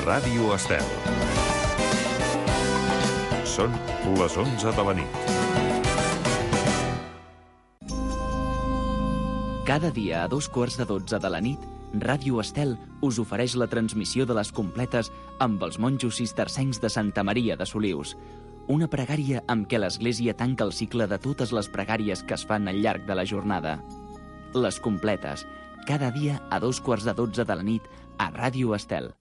Ràdio Estel. Són les 11 de la nit. Cada dia a 2:15 de la nit, Ràdio Estel us ofereix la transmissió de les completes amb els monjos cistercencs de Santa Maria de Solius. Una pregària amb què l'Església tanca el cicle de totes les pregàries que es fan al llarg de la jornada. Les completes, cada dia a 2:15 de la nit a Ràdio Estel.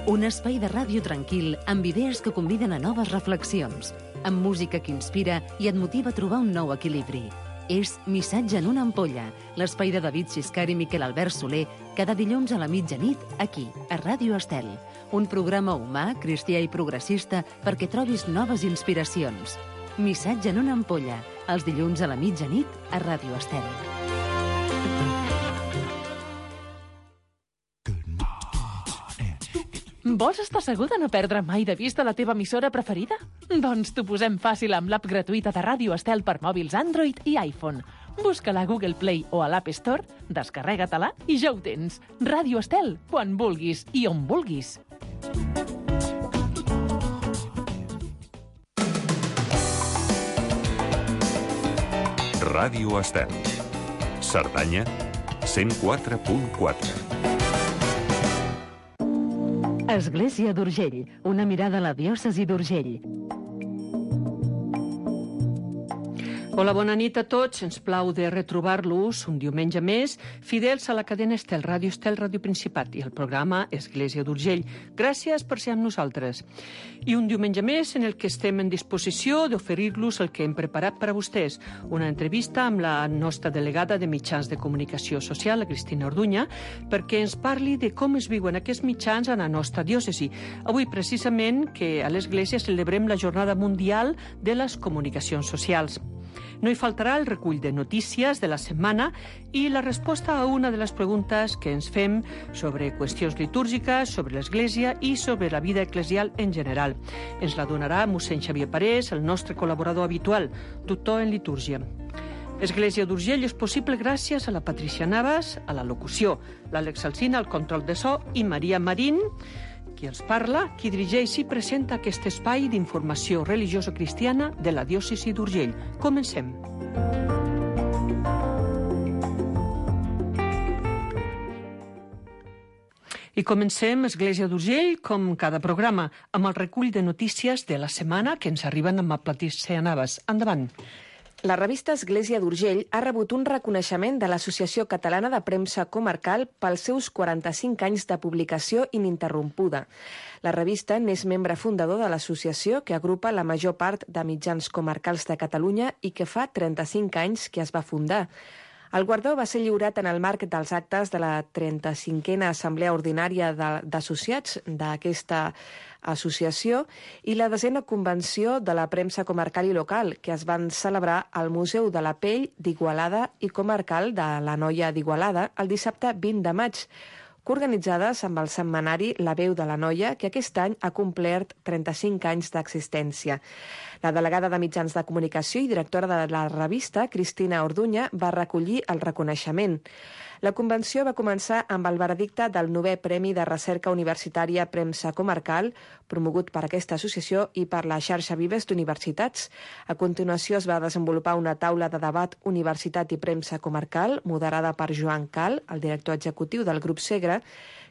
Un espai de ràdio tranquil amb idees que conviden a noves reflexions, amb música que inspira i et motiva a trobar un nou equilibri. És Missatge en una ampolla, l'espai de David Xiscar i Miquel Albert Soler, cada dilluns a la mitjanit, aquí, a Ràdio Estel. Un programa humà, cristià i progressista perquè trobis noves inspiracions. Missatge en una ampolla, els dilluns a la mitjanit, a Ràdio Estel. Vols estar segur de no perdre mai de vista la teva emissora preferida? Doncs t'ho posem fàcil amb l'app gratuïta de Ràdio Estel per mòbils Android i iPhone. Busca-la a Google Play o a l'App Store, descarrega-te-la i ja ho tens. Ràdio Estel, quan vulguis i on vulguis. Ràdio Estel. Cerdanya, 104.4. Església d'Urgell, una mirada a la diòcesi d'Urgell. Hola, bona nit a tots. Ens plau de retrobar-los un diumenge més, fidels a la cadena Estel, Ràdio Principat i el programa Església d'Urgell. Gràcies per ser amb nosaltres. I un diumenge més en el que estem en disposició d'oferir-los el que hem preparat per a vostès. Una entrevista amb la nostra delegada de mitjans de comunicació social, la Cristina Orduña, perquè ens parli de com es viuen aquests mitjans a la nostra diòcesi. Avui, precisament, que a l'Església celebrem la Jornada Mundial de les Comunicacions Socials. No hi faltarà el recull de notícies de la setmana i la resposta a una de les preguntes que ens fem sobre qüestions litúrgiques, sobre l'Església i sobre la vida eclesial en general. Ens la donarà mossèn Xavier Parés, el nostre col·laborador habitual, doctor en litúrgia. Església d'Urgell és possible gràcies a la Patricia Navas, a la locució, l'Àlex Alsina, al control de so i Maria Marín, qui els parla, qui dirigeix i presenta aquest espai d'informació religiosa-cristiana de la diòcesi d'Urgell. Comencem. I comencem, Església d'Urgell, com cada programa, amb el recull de notícies de la setmana que ens arriben amb la Patricia Navas. Endavant. La revista Església d'Urgell ha rebut un reconeixement de l'Associació Catalana de Premsa Comarcal pels seus 45 anys de publicació ininterrompuda. La revista n'és membre fundador de l'associació que agrupa la major part de mitjans comarcals de Catalunya i que fa 35 anys que es va fundar. El guardó va ser lliurat en el marc dels actes de la 35a Assemblea Ordinària d'Associats d'aquesta associació i la 10a Convenció de la Premsa Comarcal i Local, que es van celebrar al Museu de la Pell d'Igualada i Comarcal de l'Anoia d'Igualada el dissabte 20 de maig, coorganitzades amb el setmanari La Veu de l'Anoia, que aquest any ha complert 35 anys d'existència. La delegada de mitjans de comunicació i directora de la revista, Cristina Orduña, va recollir el reconeixement. La convenció va començar amb el veredicte del 9è Premi de Recerca Universitària Premsa Comarcal, promogut per aquesta associació i per la xarxa Vives d'Universitats. A continuació es va desenvolupar una taula de debat Universitat i Premsa Comarcal, moderada per Joan Cal, el director executiu del grup Segre,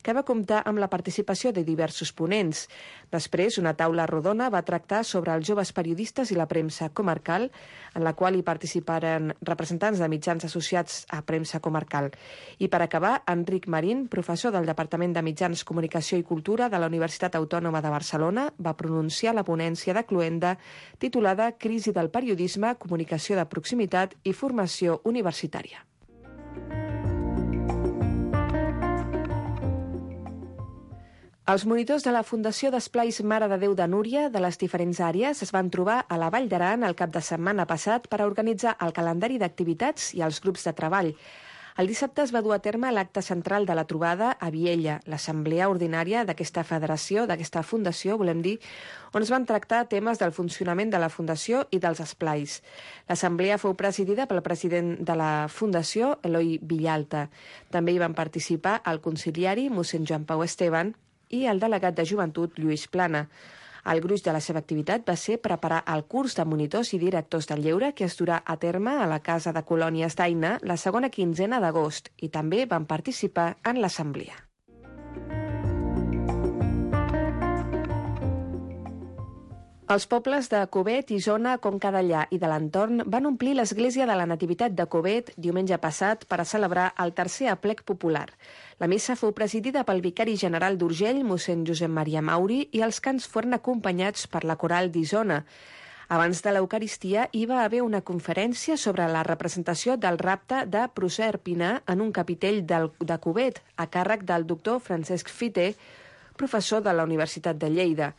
que va comptar amb la participació de diversos ponents. Després, una taula rodona va tractar sobre els joves periodistes i la premsa comarcal, en la qual hi participaren representants de mitjans associats a premsa comarcal. I per acabar, Enric Marín, professor del Departament de Mitjans, Comunicació i Cultura de la Universitat Autònoma de Barcelona, va pronunciar la ponència de Cluenda titulada Crisi del periodisme, comunicació de proximitat i formació universitària. Els monitors de la Fundació d'Esplais Mare de Déu de Núria de les diferents àrees es van trobar a la Vall d'Aran el cap de setmana passat per a organitzar el calendari d'activitats i els grups de treball. El dissabte es va dur a terme l'acte central de la trobada a Viella, l'assemblea ordinària d'aquesta federació, d'aquesta fundació, volem dir, on es van tractar temes del funcionament de la fundació i dels esplais. L'assemblea fou presidida pel president de la fundació, Eloi Villalta. També hi van participar el conciliari, mossèn Joan Pau Esteban, i el delegat de joventut, Lluís Plana. El gruix de la seva activitat va ser preparar el curs de monitors i directors del lleure que es durà a terme a la Casa de Colònies d'Aina la segona quinzena d'agost i també van participar en l'assemblea. Els pobles de Covet, Isona, Conca Dellà i de l'entorn van omplir l'església de la Nativitat de Covet diumenge passat per a celebrar el tercer aplec popular. La missa fou presidida pel vicari general d'Urgell, mossèn Josep Maria Mauri, i els cants foren acompanyats per la coral d'Isona. Abans de l'Eucaristia hi va haver una conferència sobre la representació del rapte de Proserpina en un capitell de Covet, a càrrec del doctor Francesc Fité, professor de la Universitat de Lleida.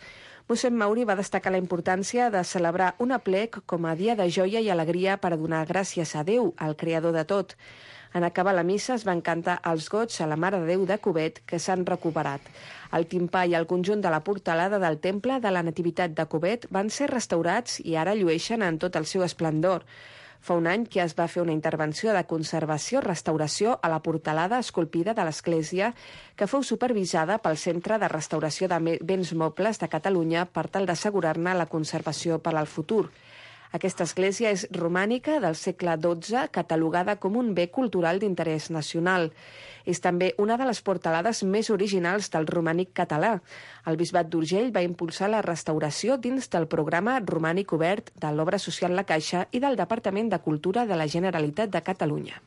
Mossèn Mauri va destacar la importància de celebrar un aplec com a dia de joia i alegria per a donar gràcies a Déu, el creador de tot. En acabar la missa es van cantar els gots a la Mare de Déu de Covet, que s'han recuperat. El timpà i el conjunt de la portalada del temple de la Nativitat de Covet van ser restaurats i ara llueixen en tot el seu esplendor. Fa un any que es va fer una intervenció de conservació-restauració a la portalada esculpida de l'església, que fou supervisada pel Centre de Restauració de Béns Mobles de Catalunya per tal d'assegurar-ne la conservació per al futur. Aquesta església és romànica del segle XII, catalogada com un bé cultural d'interès nacional. És també una de les portalades més originals del romànic català. El Bisbat d'Urgell va impulsar la restauració dins del programa Romànic Obert de l'Obra Social La Caixa i del Departament de Cultura de la Generalitat de Catalunya.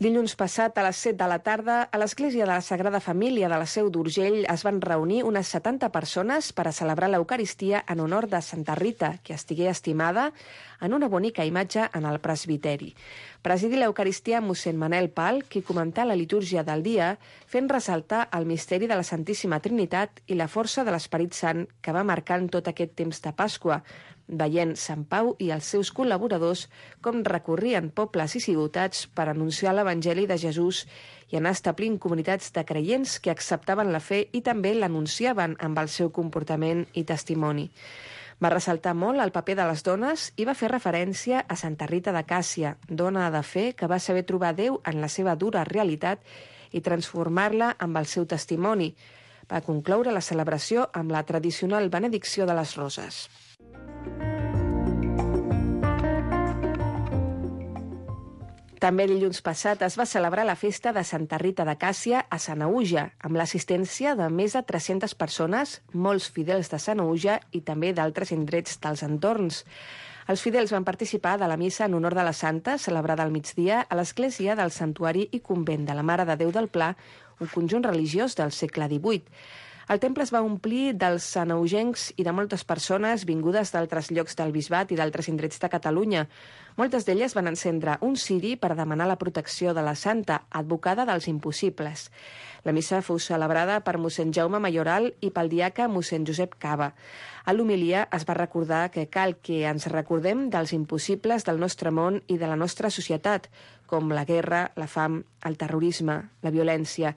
Dilluns passat, a les 7 de la tarda, a l'Església de la Sagrada Família de la Seu d'Urgell es van reunir unes 70 persones per a celebrar l'Eucaristia en honor de Santa Rita, que estigué estimada en una bonica imatge en el presbiteri. Presidí l'Eucaristia mossèn Manel Pal, qui comentà la litúrgia del dia, fent ressaltar el misteri de la Santíssima Trinitat i la força de l'Esperit Sant que va marcant tot aquest temps de Pasqua, veient Sant Pau i els seus col·laboradors com recorrien pobles i ciutats per anunciar l'Evangeli de Jesús i anar establint comunitats de creients que acceptaven la fe i també l'anunciaven amb el seu comportament i testimoni. Va ressaltar molt el paper de les dones i va fer referència a Santa Rita de Càssia, dona de fe que va saber trobar Déu en la seva dura realitat i transformar-la amb el seu testimoni. Va concloure la celebració amb la tradicional benedicció de les roses. També dilluns passat es va celebrar la festa de Santa Rita de Càssia a Sanaüja, amb l'assistència de més de 300 persones, molts fidels de Sanaüja i també d'altres indrets dels entorns. Els fidels van participar de la missa en honor de la Santa, celebrada al migdia a l'església del Santuari i Convent de la Mare de Déu del Pla, un conjunt religiós del segle XVIII. El temple es va omplir dels sanaugencs i de moltes persones vingudes d'altres llocs del bisbat i d'altres indrets de Catalunya. Moltes d'elles van encendre un ciri per demanar la protecció de la Santa, advocada dels impossibles. La missa fou celebrada per mossèn Jaume Mayoral i pel diaca mossèn Josep Cava. A l'homilia es va recordar que cal que ens recordem dels impossibles del nostre món i de la nostra societat, com la guerra, la fam, el terrorisme, la violència.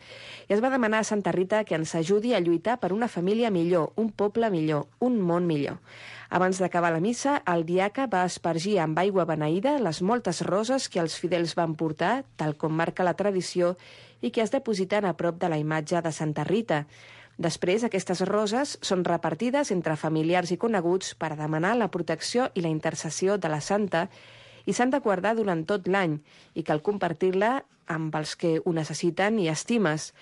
I es va demanar a Santa Rita que ens ajudi a lluitar per una família millor, un poble millor, un món millor. Abans d'acabar la missa, el diaca va espargir amb aigua beneïda les moltes roses que els fidels van portar, tal com marca la tradició, i que es depositen a prop de la imatge de Santa Rita. Després, aquestes roses són repartides entre familiars i coneguts per demanar la protecció i la intercessió de la Santa i s'han de guardar durant tot l'any i cal compartir-la amb els que ho necessiten i estimes.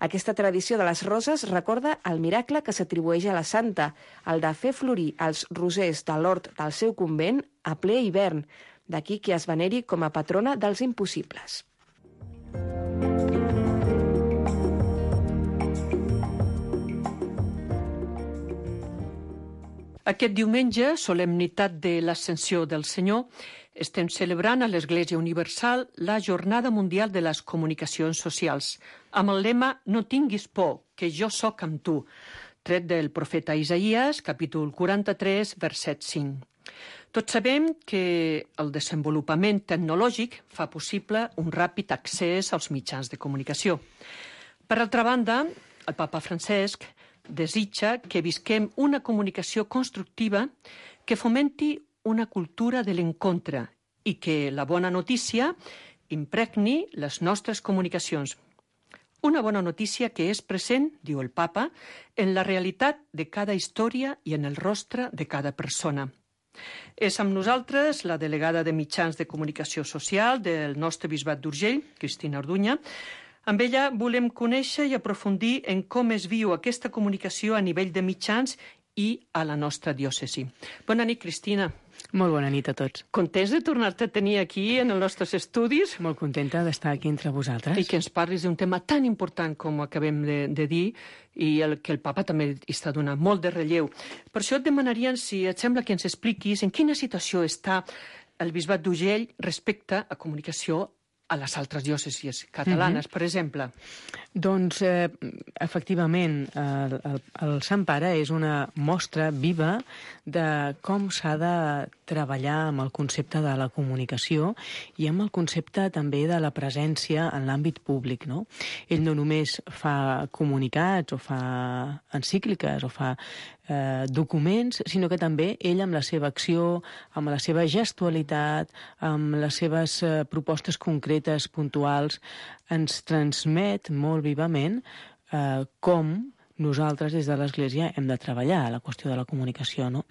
Aquesta tradició de les roses recorda el miracle que s'atribueix a la Santa, el de fer florir els rosers de l'hort del seu convent a ple hivern, d'aquí que es veneri com a patrona dels impossibles. Aquest diumenge, solemnitat de l'Ascensió del Senyor, estem celebrant a l'Església Universal la Jornada Mundial de les Comunicacions Socials, amb el lema «No tinguis por, que jo sóc amb tu», tret del profeta Isaïes, capítol 43, verset 5. Tots sabem que el desenvolupament tecnològic fa possible un ràpid accés als mitjans de comunicació. Per altra banda, el papa Francesc desitja que visquem una comunicació constructiva que fomenti una cultura de l'encontre i que la bona notícia impregni les nostres comunicacions. Una bona notícia que és present, diu el papa, en la realitat de cada història i en el rostre de cada persona. És amb nosaltres la delegada de mitjans de comunicació social del nostre bisbat d'Urgell, Cristina Orduña. Amb ella volem conèixer i aprofundir en com es viu aquesta comunicació a nivell de mitjans i a la nostra diòcesi. Bona nit, Cristina. Molt bona nit a tots. Contents de tornar-te a tenir aquí en els nostres estudis? Molt contenta d'estar aquí entre vosaltres. I que ens parlis d'un tema tan important com acabem de dir i que el papa també està donant molt de relleu. Per això et demanarien si et sembla que ens expliquis en quina situació està el bisbat d'Urgell respecte a comunicació a les altres diòcesis catalanes, per exemple. Doncs, efectivament, el Sant Pare és una mostra viva de com s'ha de treballar amb el concepte de la comunicació i amb el concepte també de la presència en l'àmbit públic, no? Ell no només fa comunicats o fa encícliques o fa documents, sinó que també ell amb la seva acció, amb la seva gestualitat, amb les seves propostes concretes, puntuals, ens transmet molt vivament com nosaltres des de l'Església hem de treballar la qüestió de la comunicació, no?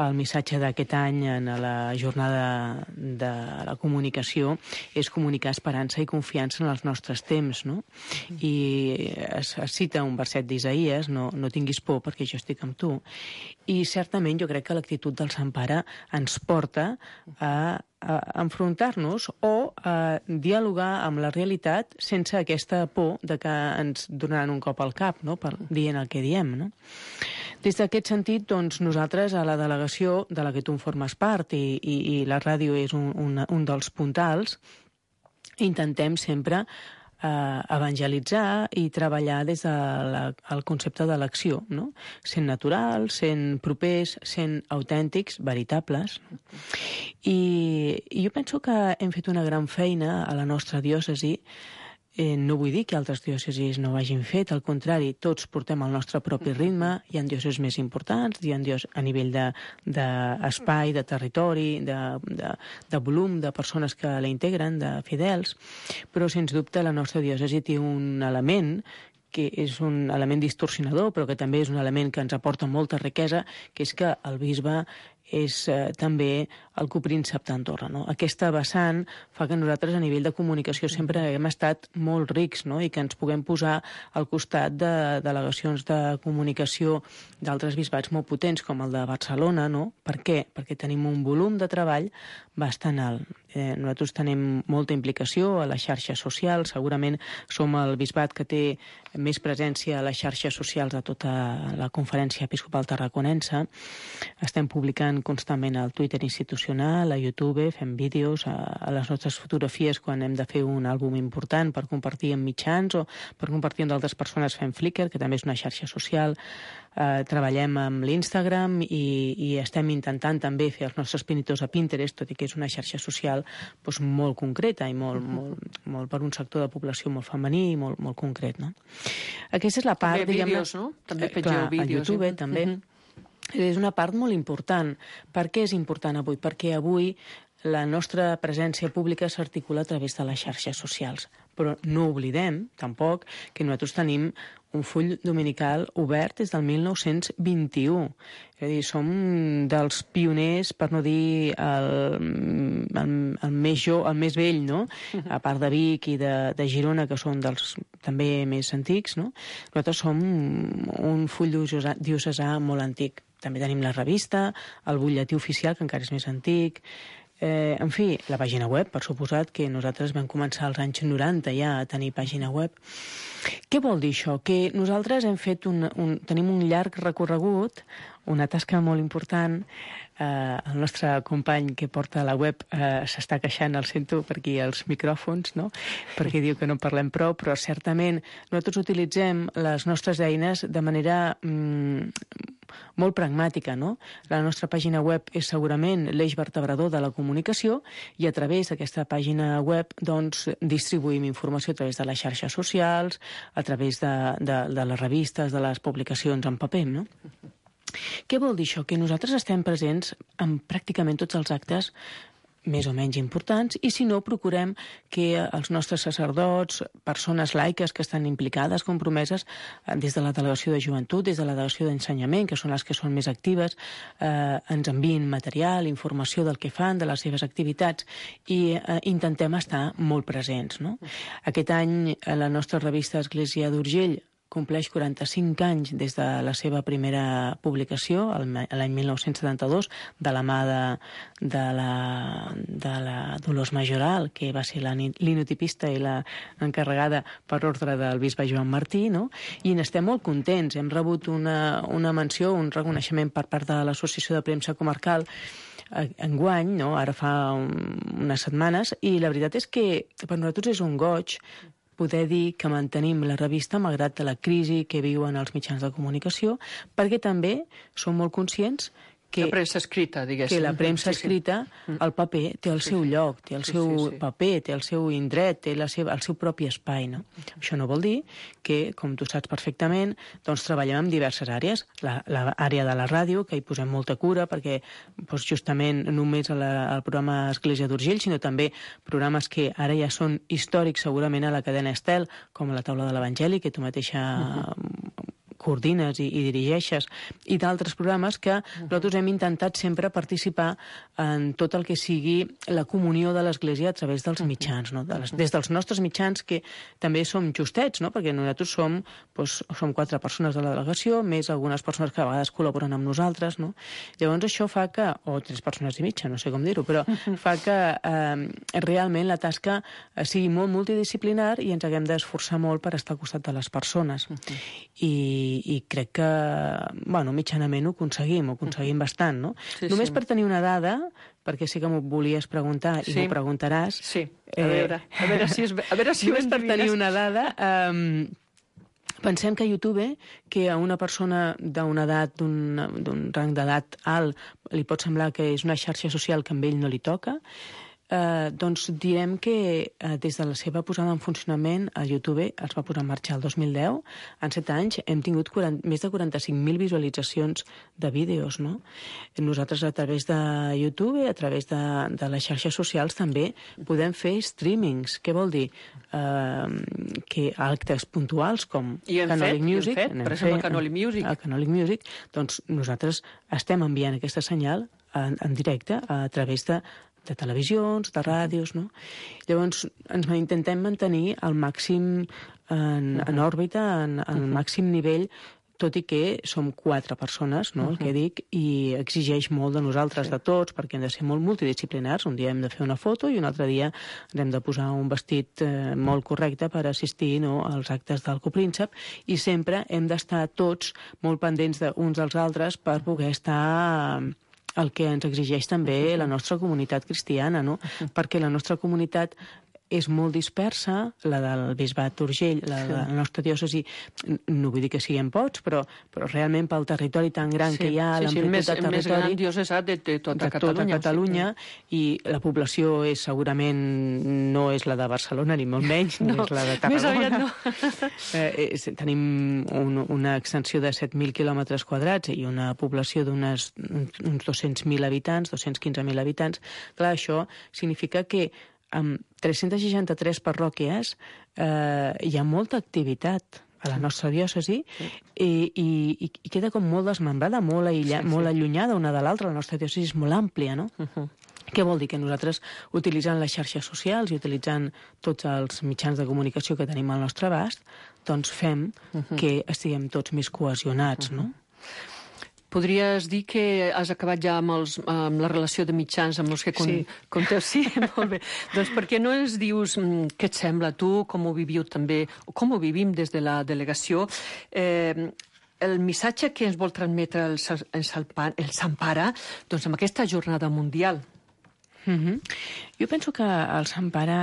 El missatge d'aquest any en la jornada de la comunicació és comunicar esperança i confiança en els nostres temps, no? I es cita un verset d'Isaïes, no tinguis por perquè jo estic amb tu, i certament jo crec que l'actitud del Sant Pare ens porta a enfrontar-nos o a dialogar amb la realitat sense aquesta por de que ens donaran un cop al cap, no?, per dient el que diem, no? Des d'aquest sentit, doncs, nosaltres a la delegació de la que tu en formes part i la ràdio és un dels puntals, intentem sempre evangelitzar i treballar des del concepte de l'acció, no? Sent naturals, sent propers, sent autèntics, veritables. I jo penso que hem fet una gran feina a la nostra diòcesi. No vull dir que altres diòcesis no ho hagin fet, al contrari, tots portem el nostre propi ritme, hi ha diòcesis més importants, hi ha a nivell d'espai, de territori, de volum, de persones que la integren, de fidels, però sens dubte la nostra diòcesi té un element que és un element distorsionador, però que també és un element que ens aporta molta riquesa, que és que el bisbe és també el copríncep d'Andorra, no? Aquesta vessant fa que nosaltres a nivell de comunicació sempre hem estat molt rics, no?, i que ens puguem posar al costat de delegacions de comunicació d'altres bisbats molt potents, com el de Barcelona, no? Per què? Perquè tenim un volum de treball bastant alt. Nosaltres tenim molta implicació a les xarxes socials, segurament som el bisbat que té més presència a les xarxes socials de tota la Conferència Episcopal Tarraconense. Estem publicant constantment al Twitter institucional, a YouTube, fem vídeos, a les nostres fotografies quan hem de fer un àlbum important per compartir en mitjans o per compartir amb d'altres persones fem Flickr, que també és una xarxa social. Treballem amb l'Instagram i estem intentant també fer els nostres pinitors a Pinterest, tot i que és una xarxa social doncs, molt concreta i molt per un sector de població molt femení i molt concret, no? Aquesta és la part, també vídeos, no? També pengeu vídeos. A YouTube, també. És una part molt important. Per què és important avui? Perquè avui la nostra presència pública s'articula a través de les xarxes socials. Però no oblidem, tampoc, que nosaltres tenim un full dominical obert des del 1921. És a dir, som dels pioners, per no dir el més vell, no? A part de Vic i de Girona, que són dels també més antics, no? Nosaltres som un full diocesà molt antic. També tenim la revista, el butlletí oficial, que encara és més antic. En fi, la pàgina web, per suposat, que nosaltres vam començar als anys 90 ja a tenir pàgina web. Què vol dir això? Que nosaltres hem fet tenim un llarg recorregut, una tasca molt important. El nostre company que porta la web s'està queixant, el sento per aquí als micròfons, no? Perquè diu que no parlem prou, però certament nosaltres utilitzem les nostres eines de manera molt pragmàtica, no? La nostra pàgina web és segurament l'eix vertebrador de la comunicació i a través d'aquesta pàgina web doncs, distribuïm informació a través de les xarxes socials, a través de les revistes, de les publicacions en paper, no? Què vol dir això? Que nosaltres estem presents en pràcticament tots els actes més o menys importants, i si no, procurem que els nostres sacerdots, persones laiques que estan implicades, compromeses, des de la delegació de joventut, des de la delegació d'ensenyament, que són les que són més actives, ens enviïn material, informació del que fan, de les seves activitats, i intentem estar molt presents, no? Aquest any la nostra revista Església d'Urgell compleix 45 anys des de la seva primera publicació, l'any 1972, de la mà de la Dolors Majoral, que va ser la linotipista i la encarregada per ordre del bisbe Joan Martí, no? I n'estem molt contents. Hem rebut una menció, un reconeixement per part de l'Associació de Premsa Comarcal enguany, no? Ara fa unes setmanes, i la veritat és que per nosaltres és un goig poder dir que mantenim la revista malgrat de la crisi que viuen els mitjans de comunicació, perquè també som molt conscients que la premsa escrita, diguéssim. Que la premsa escrita, el paper, té el seu lloc, té el seu paper, té el seu indret, té el seu propi espai, no? Això no vol dir que, com tu saps perfectament, doncs treballem en diverses àrees. L'àrea de la ràdio, que hi posem molta cura, perquè doncs, justament només al programa Església d'Urgell, sinó també programes que ara ja són històrics segurament a la cadena Estel, com la taula de l'Evangeli, que tu mateixa coordines i dirigeixes, i d'altres programes que nosaltres hem intentat sempre participar en tot el que sigui la comunió de l'Església a través dels mitjans, no? Des dels nostres mitjans, que també som justets, no? Perquè nosaltres som 4 persones de la delegació, més algunes persones que a vegades col·laboren amb nosaltres, no? Llavors això fa que, o 3 persones i mitja, no sé com dir-ho, però fa que realment la tasca sigui molt multidisciplinar i ens haguem d'esforçar molt per estar al costat de les persones. I crec que, bueno, mitjanament ho aconseguim bastant, no? Només per tenir una dada, perquè sí que m'ho volies preguntar i m'ho preguntaràs. Sí, a veure si només per tenir una dada, pensem que a YouTube, que a una persona d'una edat, d'un rang d'edat alt, li pot semblar que és una xarxa social que a ell no li toca, doncs direm que des de la seva posada en funcionament a YouTube, es va posar en marxa el 2010, en 7 anys hem tingut més de 45.000 visualitzacions de vídeos, no? Nosaltres a través de YouTube, a través de les xarxes socials també podem fer streamings. Què vol dir? Que actes puntuals com Canòlic Music, per exemple Canòlic Music. El Canòlic Music, doncs nosaltres estem enviant aquesta senyal en directe a través de televisions, de ràdios, no? Llavors, ens intentem mantenir al màxim en òrbita, al màxim nivell, tot i que som 4 persones, no?, el que dic, i exigeix molt de nosaltres, de tots, perquè hem de ser molt multidisciplinars. Un dia hem de fer una foto i un altre dia ens hem de posar un vestit molt correcte per assistir, no?, als actes del Copríncep, i sempre hem d'estar tots molt pendents uns dels altres per poder estar el que ens exigeix també la nostra comunitat cristiana, no? Perquè la nostra comunitat és molt dispersa, la del Bisbat d'Urgell, la nostra diòcesi, no vull dir que siguem pocs, però realment pel territori tan gran que hi ha, l'amplitud de territori... més gran diòcesi de tota Catalunya, i la població segurament no és la de Barcelona, ni molt menys, ni és la de Tarragona. Més aviat no. Tenim una extensió de 7.000 quilòmetres quadrats i una població d'uns 200.000 habitants, 215.000 habitants. Clar, això significa que amb 363 parròquies hi ha molta activitat a la nostra diòcesi i queda com molt desmembrada, molt allunyada una de l'altra. La nostra diòcesi és molt àmplia, no? Què vol dir? Que nosaltres, utilitzant les xarxes socials i utilitzant tots els mitjans de comunicació que tenim al nostre abast, doncs fem que estiguem tots més cohesionats, no? Podries dir que has acabat ja amb la relació de mitjans amb els que conteu? Sí, molt bé. Doncs per què no ens dius què et sembla tu, com ho viviu també, o com ho vivim des de la delegació, el missatge que ens vol transmetre el Sant Pare, doncs amb aquesta jornada mundial? Jo penso que el Sant Pare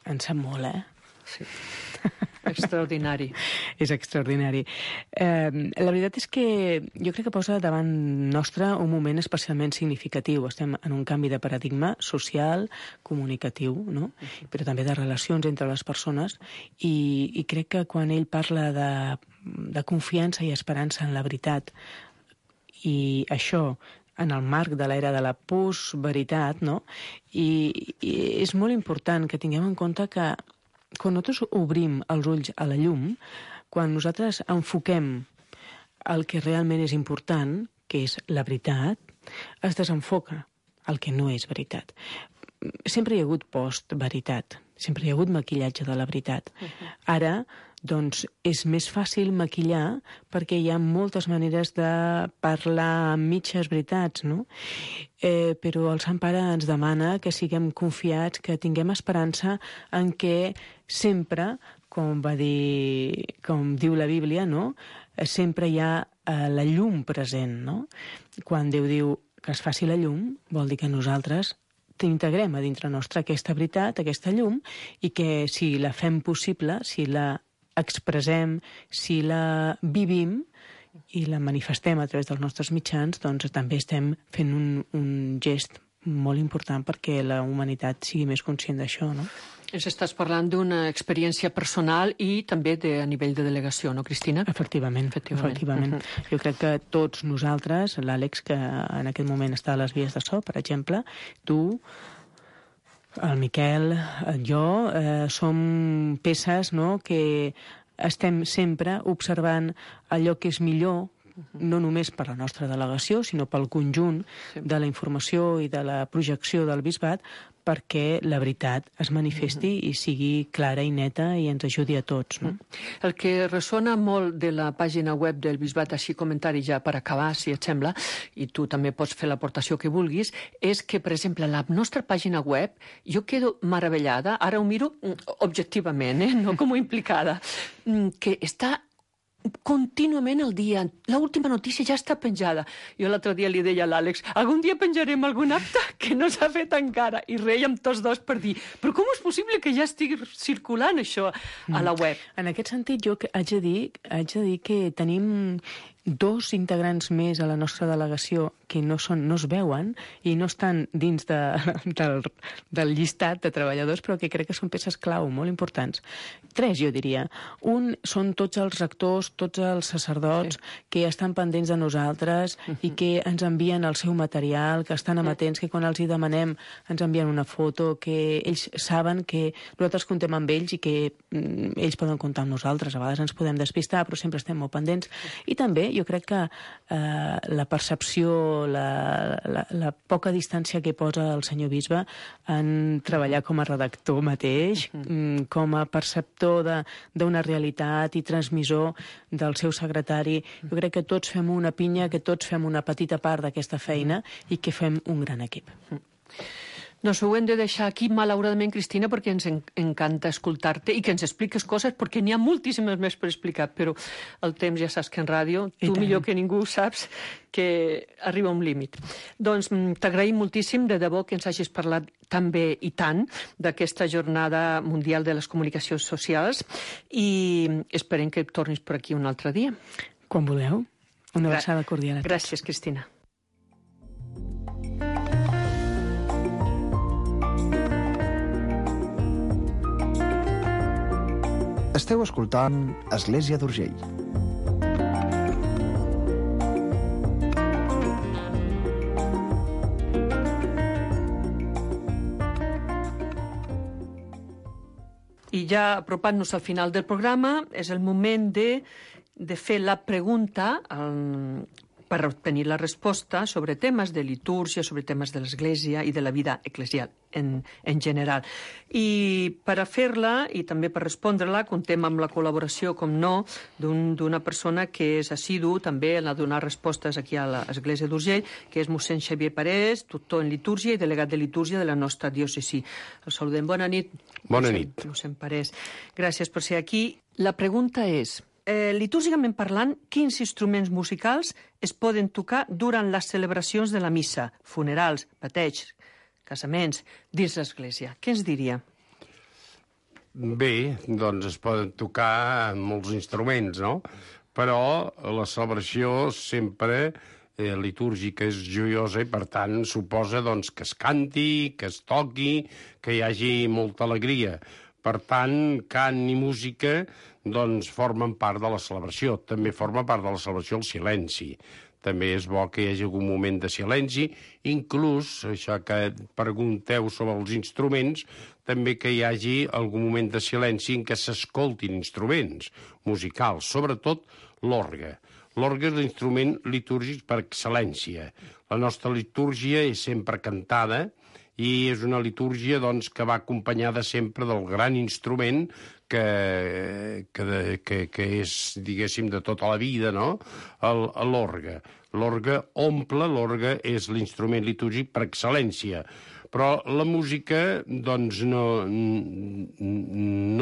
en sap molt, Sí. Extraordinari. és extraordinari. La veritat és que jo crec que posa davant nostre un moment especialment significatiu. Estem en un canvi de paradigma social, comunicatiu, no? Però també de relacions entre les persones, i crec que quan ell parla de confiança i esperança en la veritat, i això en el marc de l'era de la postveritat, no? I és molt important que tinguem en compte que quan nosaltres obrim els ulls a la llum, quan nosaltres enfoquem el que realment és important, que és la veritat, es desenfoca el que no és veritat. Sempre hi ha hagut post-veritat, sempre hi ha hagut maquillatge de la veritat. Ara, doncs, és més fàcil maquillar perquè hi ha moltes maneres de parlar amb mitges veritats, no? Però el Sant Pare ens demana que siguem confiats, que tinguem esperança en que sempre, com diu la Bíblia, no? Sempre hi ha la llum present, no? Quan Déu diu que es faci la llum, vol dir que nosaltres integrem a dintre nostre aquesta veritat, aquesta llum, i que si la fem possible, si la expressem, si la vivim i la manifestem a través dels nostres mitjans, doncs també estem fent un gest molt important perquè la humanitat sigui més conscient d'això, no? Ens estàs parlant d'una experiència personal i també a nivell de delegació, no, Cristina? Efectivament. Jo crec que tots nosaltres, l'Àlex, que en aquest moment està a les vies de so, per exemple, tu, el Miquel, jo, som peces, no?, que estem sempre observant allò que és millor, no només per la nostra delegació, sinó pel conjunt de la informació i de la projecció del bisbat, perquè la veritat es manifesti i sigui clara i neta i ens ajudi a tots, no? El que ressona molt de la pàgina web del bisbat, així comentari ja per acabar, si et sembla, i tu també pots fer l'aportació que vulguis, és que, per exemple, la nostra pàgina web, jo quedo meravellada, ara ho miro objectivament, no com implicada, que està contínuament al dia. L'última notícia ja està penjada. Jo l'altre dia li deia a l'Àlex, algun dia penjarem algun acte que no s'ha fet encara, i rèiem tots dos per dir, però com és possible que ja estigui circulant això a la web? En aquest sentit, jo haig de dir que tenim 2 integrants més a la nostra delegació que no es veuen i no estan dins del llistat de treballadors, però que crec que són peces clau, molt importants. 3, jo diria. Un són tots els rectors, tots els sacerdots que estan pendents de nosaltres i que ens envien el seu material, que estan amatents, que quan els hi demanem ens envien una foto, que ells saben que nosaltres comptem amb ells i que ells poden comptar amb nosaltres. A vegades ens podem despistar, però sempre estem molt pendents. I també jo crec que la percepció, la poca distància que posa el senyor bisbe en treballar com a redactor mateix, com a perceptor d'una realitat i transmissor del seu secretari, jo crec que tots fem una pinya, que tots fem una petita part d'aquesta feina i que fem un gran equip. Doncs ho hem de deixar aquí, malauradament, Cristina, perquè ens encanta escoltar-te i que ens expliques coses, perquè n'hi ha moltíssimes més per explicar, però el temps ja saps que en ràdio, tu millor que ningú saps que arriba un límit. Doncs t'agraïm moltíssim, de debò, que ens hagis parlat tan bé i tant d'aquesta Jornada Mundial de les Comunicacions Socials, i esperem que tornis per aquí un altre dia. Quan vulgueu. Una abraçada cordial a tots. Gràcies, Cristina. Esteu escoltant Església d'Urgell. I ja apropant-nos al final del programa, és el moment de fer la pregunta per obtenir la resposta sobre temes de litúrgia, sobre temes de l'Església i de la vida eclesial en general. I per a fer-la i també per respondre-la, contem amb la col·laboració, com no, d'una persona que és assidu també a donar respostes aquí a l'Església d'Urgell, que és mossèn Xavier Parés, tutor en litúrgia i delegat de litúrgia de la nostra diòcesi. El saludem. Bona nit. Bona nit. Mossèn Parés. Gràcies per ser aquí. La pregunta és, litúrgicament parlant, quins instruments musicals es poden tocar durant les celebracions de la missa, funerals, bateigs, casaments, dins l'Església? Què ens diria? Bé, doncs es poden tocar molts instruments, no? Però la celebració sempre litúrgica és joiosa i, per tant, suposa doncs, que es canti, que es toqui, que hi hagi molta alegria. Per tant, cant i música doncs, formen part de la celebració. També forma part de la celebració el silenci. També és bo que hi hagi algun moment de silenci, inclús, això que pregunteu sobre els instruments, també que hi hagi algun moment de silenci en què s'escoltin instruments musicals, sobretot l'orgue. L'orgue és l'instrument litúrgic per excel·lència. La nostra litúrgia és sempre cantada i és una litúrgia doncs, que va acompanyada sempre del gran instrument que és, diguéssim, de tota la vida, no? L'orgue. L'orgue omple, l'orgue és l'instrument litúrgic per excel·lència. Però la música, doncs, no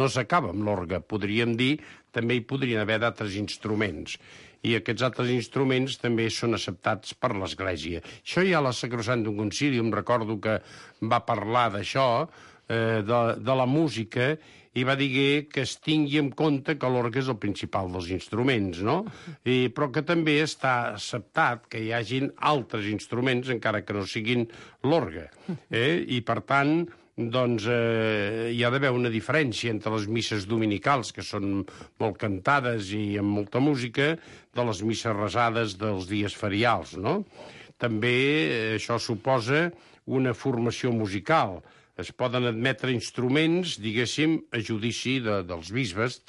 s'acaba amb l'orgue. Podríem dir, també hi podrien haver d'altres instruments. I aquests altres instruments també són acceptats per l'Església. Això ja la Sacrosanctum Concilium, recordo que va parlar d'això, de la música, i va dir que es tingui en compte que l'orgue és el principal dels instruments, no? Però que també està acceptat que hi hagin altres instruments, encara que no siguin l'orgue. I, per tant, doncs hi ha d'haver una diferència entre les misses dominicals, que són molt cantades i amb molta música, de les misses resades dels dies ferials, no? També això suposa una formació musical. Es poden admetre instruments, diguéssim, a judici dels bisbes.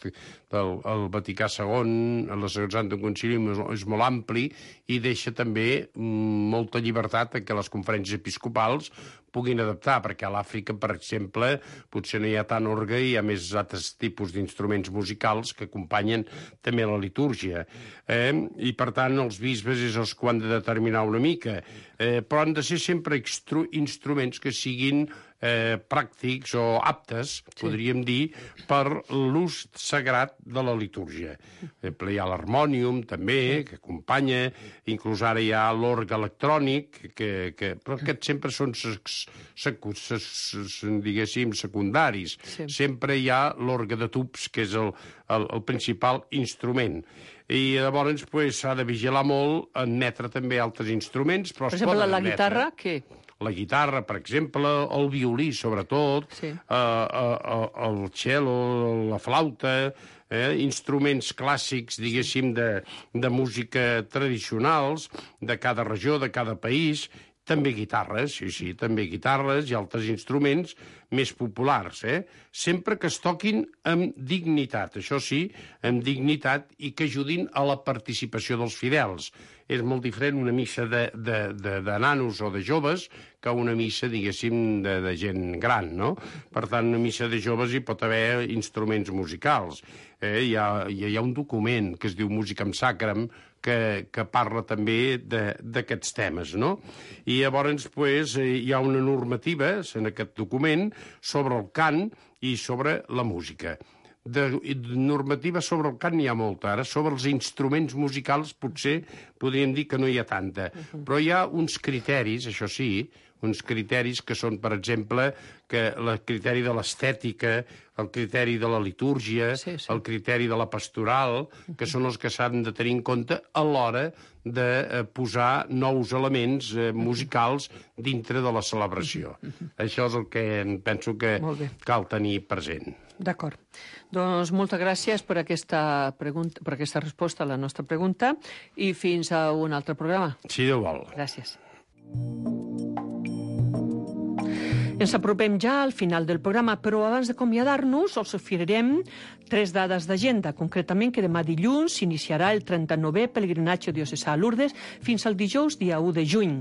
El Vaticà II, la Sacrosanctum Concilium, és molt ampli i deixa també molta llibertat que les conferències episcopals puguin adaptar, perquè a l'Àfrica, per exemple, potser no hi ha tant orgue i hi ha més altres tipus d'instruments musicals que acompanyen també la litúrgia. I, per tant, els bisbes és els que ho han de determinar una mica. Però han de ser sempre instruments que siguin pràctics o aptes, podríem dir, per l'ús sagrat de la litúrgia. Hi ha l'harmònium, també, que acompanya, inclús ara hi ha l'orgue electrònic, però aquests sempre són, diguéssim, secundaris. Sempre hi ha l'orgue de tubs, que és el principal instrument. I llavors s'ha de vigilar molt, admetre també altres instruments, però es poden admetre. Per exemple, la guitarra, què? La guitarra, per exemple, el violí, sobretot, el cello, la flauta, instruments clàssics, diguéssim, de música tradicionals, de cada regió, de cada país, també guitarres, sí, també guitarres i altres instruments més populars, sempre que es toquin amb dignitat, això sí, amb dignitat i que ajudin a la participació dels fidels. És molt diferent una missa de nanos o de joves que una missa, diguéssim, de gent gran, no? Per tant, una missa de joves hi pot haver instruments musicals. Hi ha un document que es diu Musicam Sacram que parla també d'aquests temes, no? I llavors hi ha una normativa en aquest document sobre el cant i sobre la música. De normativa sobre el cant n'hi ha molta. Ara, sobre els instruments musicals potser podríem dir que no hi ha tanta. Però hi ha uns criteris, això sí, uns criteris que són, per exemple, el criteri de l'estètica, el criteri de la litúrgia, el criteri de la pastoral, que són els que s'han de tenir en compte a l'hora de posar nous elements musicals dintre de la celebració. Això és el que penso que cal tenir present. D'acord. Doncs moltes gràcies per aquesta resposta a la nostra pregunta i fins a un altre programa. Si Déu vol. Gràcies. Ens apropem ja al final del programa, però abans d'acomiadar-nos us oferirem 3 dades d'agenda. Concretament que demà dilluns s'iniciarà el 39è pelegrinatge diocesà a Lourdes fins al dijous, dia 1 de juny.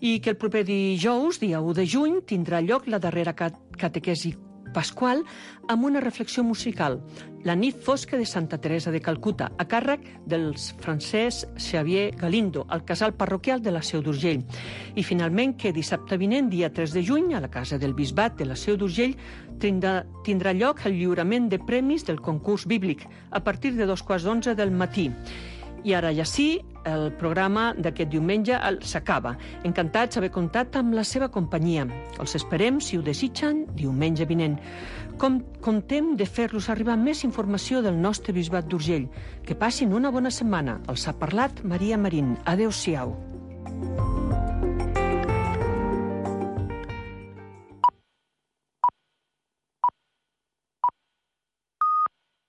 I que el proper dijous, dia 1 de juny, tindrà lloc la darrera catequesi pasqual amb una reflexió musical, La nit fosca de Santa Teresa de Calcuta, a càrrec del Francesc Xavier Galindo, al casal parroquial de la Seu d'Urgell. I finalment que dissabte vinent, dia 3 de juny, a la Casa del Bisbat de la Seu d'Urgell, tindrà lloc el lliurament de premis del concurs bíblic a partir de 2:15 del matí. I ara ja sí, el programa d'aquest diumenge s'acaba. Encantats d'haver comptat amb la seva companyia. Els esperem, si ho desitgen, diumenge vinent. Comptem de fer-los arribar més informació del nostre bisbat d'Urgell. Que passin una bona setmana. Els ha parlat Maria Marín. Adéu-siau.